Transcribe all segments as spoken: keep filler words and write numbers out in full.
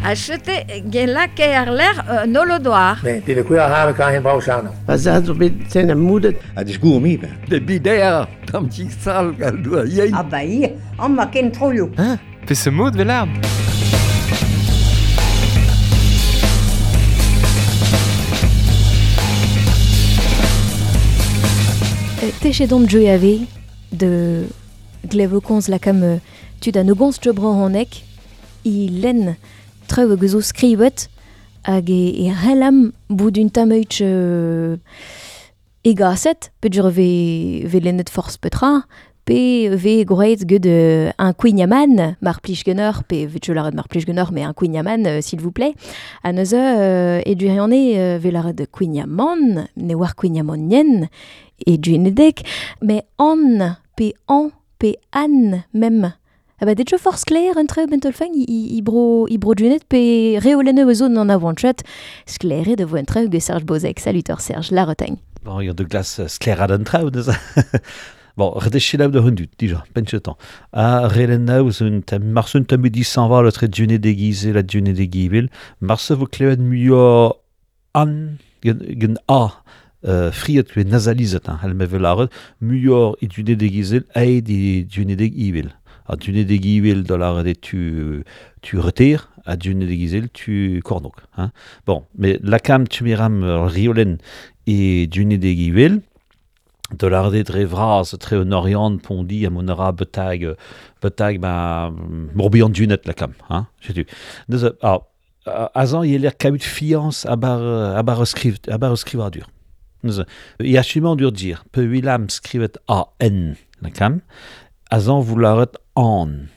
A chete gen lake ar l'air euh, nolodoar. Ne, det kunne jeg have kan hen brauchano. Ba za zo bet sen am moudet. A discours mi ben. De bider, tam tik sal gal doa yein. Ah ba ir, an ma ken troioù. Hein? Pe se mod vel Techedon joe ave de glevokonz lakam tud an ogons jobran honek i len treu hag zo skrivet hag e, e relam bout un tameutch euh, egaset pe dur ve, ve lennet forz petra pe ve groet ged euh, un kouign-amann, mar plij geneur, pe vet laret mar plij geneur, mais un kouign-amann, euh, s'il vous plaît. A neuze euh, e dureane euh, ve laret kouign-amann, ne war kouign-amann yen, e duenedek, mais an, pe an, pe an, mem. Ah ba detjo forz sklaer un treu bentolfang i, i, i bro, i bro duenet pe reolenne eus an avantchat sklaer de vo un treu ge Serge Bozek. Salut Serge, la retagne. Bon, il y a de glace sklaer ad un treu, neuze. Bon, redechelaou de hundut, dija, penchetan. A relennaou zo un tem, marse un tem disanval etre dune déguisé la dune déguivel, marse vo klevet muio an, gen, gen a, euh, friet kwe nasalizet, hein, hel me velaret, muior i dune déguisé aet i dune déguivel. A dune déguivel da laret e tu, tu reter, a dune déguisé tu kornok. Hein. Bon, mais lakam tu miram riolen e dune déguivel, de l'arde dre vras tre un orient pondi a mon ara betag betag ba morbihan dunet lakam hein setu neuze ah azan yeler kaout fiance a bar a bar skriv a bar skrivadur neuze i achiment dur dir pe wilam skrivet a n lakam azan vous laret an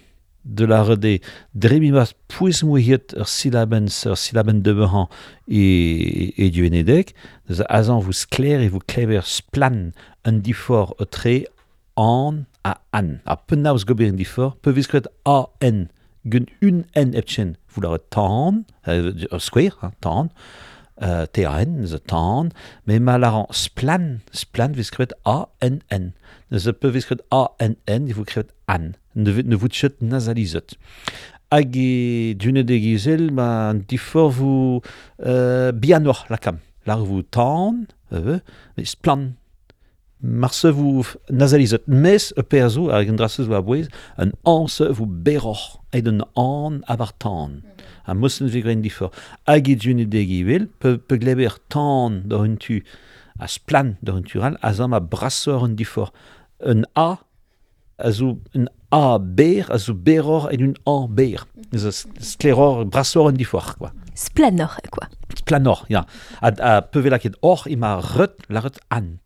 de la rede dremimas pouez mouiet ur silaben ur silaben de behan e, e du enedek, neuze azan vous sklaer e vous klever splan un difor o tre an a an. A penaos gober un difor, pe viskret a n, gun un n epchen, vous laret tan, euh, square, hein, tan, euh, T A N, neuze tan, mais ma laran splan, splan viskret A N N. Neuze pe viskret A N N, e vous krevet an. Ne, ne vous tchet nasalizet. Hag e dune degizel, ma an difor vous euh, bianor lakam. Lar vous tan, euh, mais splan. Marse vous nasalizet. Mes e perzo, hag an drasez vous abouez, an anse vous beror, ed an an abar tan. A mossen vegren difor. Hag e dune degivel, pe, pe gleber tan d'ur un tu, a splan d'ur un tural, a zam a brassor un difor. Un A, a zo un A ber, a zo beror en un A ber. Neuze skleror, brassor un difor, quoi. Splanor, quoi. Splanor, ya. A, a peve laket or, ima reut, la reut an.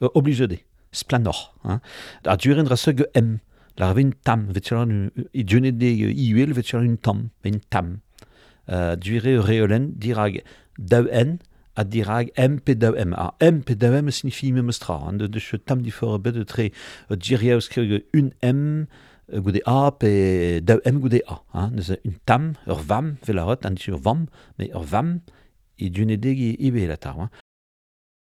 Euh, obligé de. Splanor. Hein. A duren ra ge M. La un tam. Vet un, i dune de iuel, vet un tam. Un tam. Euh, dure reolen dirag daou N, a dirag M pe daou M. A M pe daou M signifie même stra. Hein. De, de che tam difor bet de tre diriaus kreg un M goude A pe daou M goude A. Hein. Neuze un tam, ur vam, vel a rot, an ur vam, mais ur vam, e dune deg e ibe la tar. Hein.